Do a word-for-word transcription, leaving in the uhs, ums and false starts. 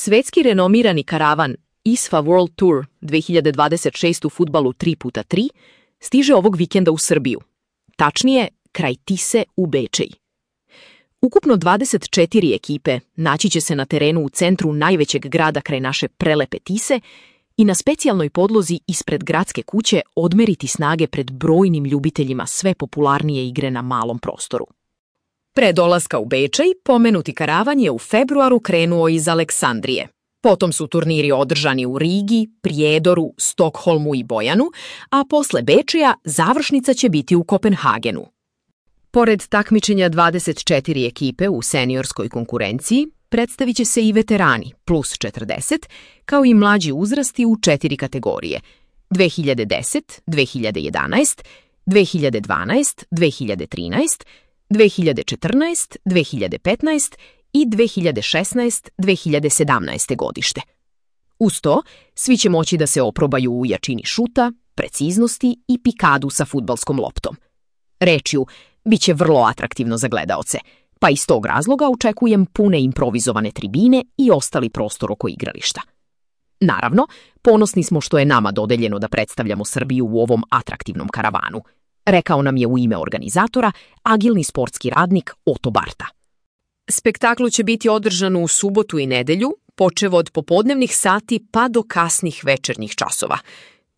Svetski renomirani karavan I S F A World Tour dve hiljade dvadeset šest u fudbalu tri puta tri stiže ovog vikenda u Srbiju. Tačnije, kraj Tise u Bečej. Ukupno dvadeset četiri ekipe naći će se na terenu u centru najvećeg grada kraj naše prelepe Tise i na specijalnoj podlozi ispred gradske kuće odmeriti snage pred brojnim ljubiteljima sve popularnije igre na malom prostoru. Pre dolaska u Bečej, pomenuti karavan je u februaru krenuo iz Aleksandrije. Potom su turniri održani u Rigi, Prijedoru, Stokholmu i Bojanu, a posle Bečeja završnica će biti u Kopenhagenu. Pored takmičenja dvadeset četiri ekipe u seniorskoj konkurenciji, predstavit će se i veterani plus četrdeset, kao i mlađi uzrasti u četiri kategorije: dve hiljade deset, dve hiljade jedanaest, dve hiljade dvanaest, dve hiljade trinaest, dve hiljade četrnaest, dve hiljade petnaest i dve hiljade šesnaest, dve hiljade sedamnaest. godište. Uz to, svi će moći da se oprobaju u jačini šuta, preciznosti i pikadu sa fudbalskom loptom. Rečju, bit će vrlo atraktivno za gledaoce, pa iz tog razloga očekujem pune improvizovane tribine i ostali prostor oko igrališta. Naravno, ponosni smo što je nama dodeljeno da predstavljamo Srbiju u ovom atraktivnom karavanu, rekao nam je u ime organizatora agilni sportski radnik Oto Barta. Spektakl će biti održan u subotu i nedelju, počev od popodnevnih sati pa do kasnih večernjih časova.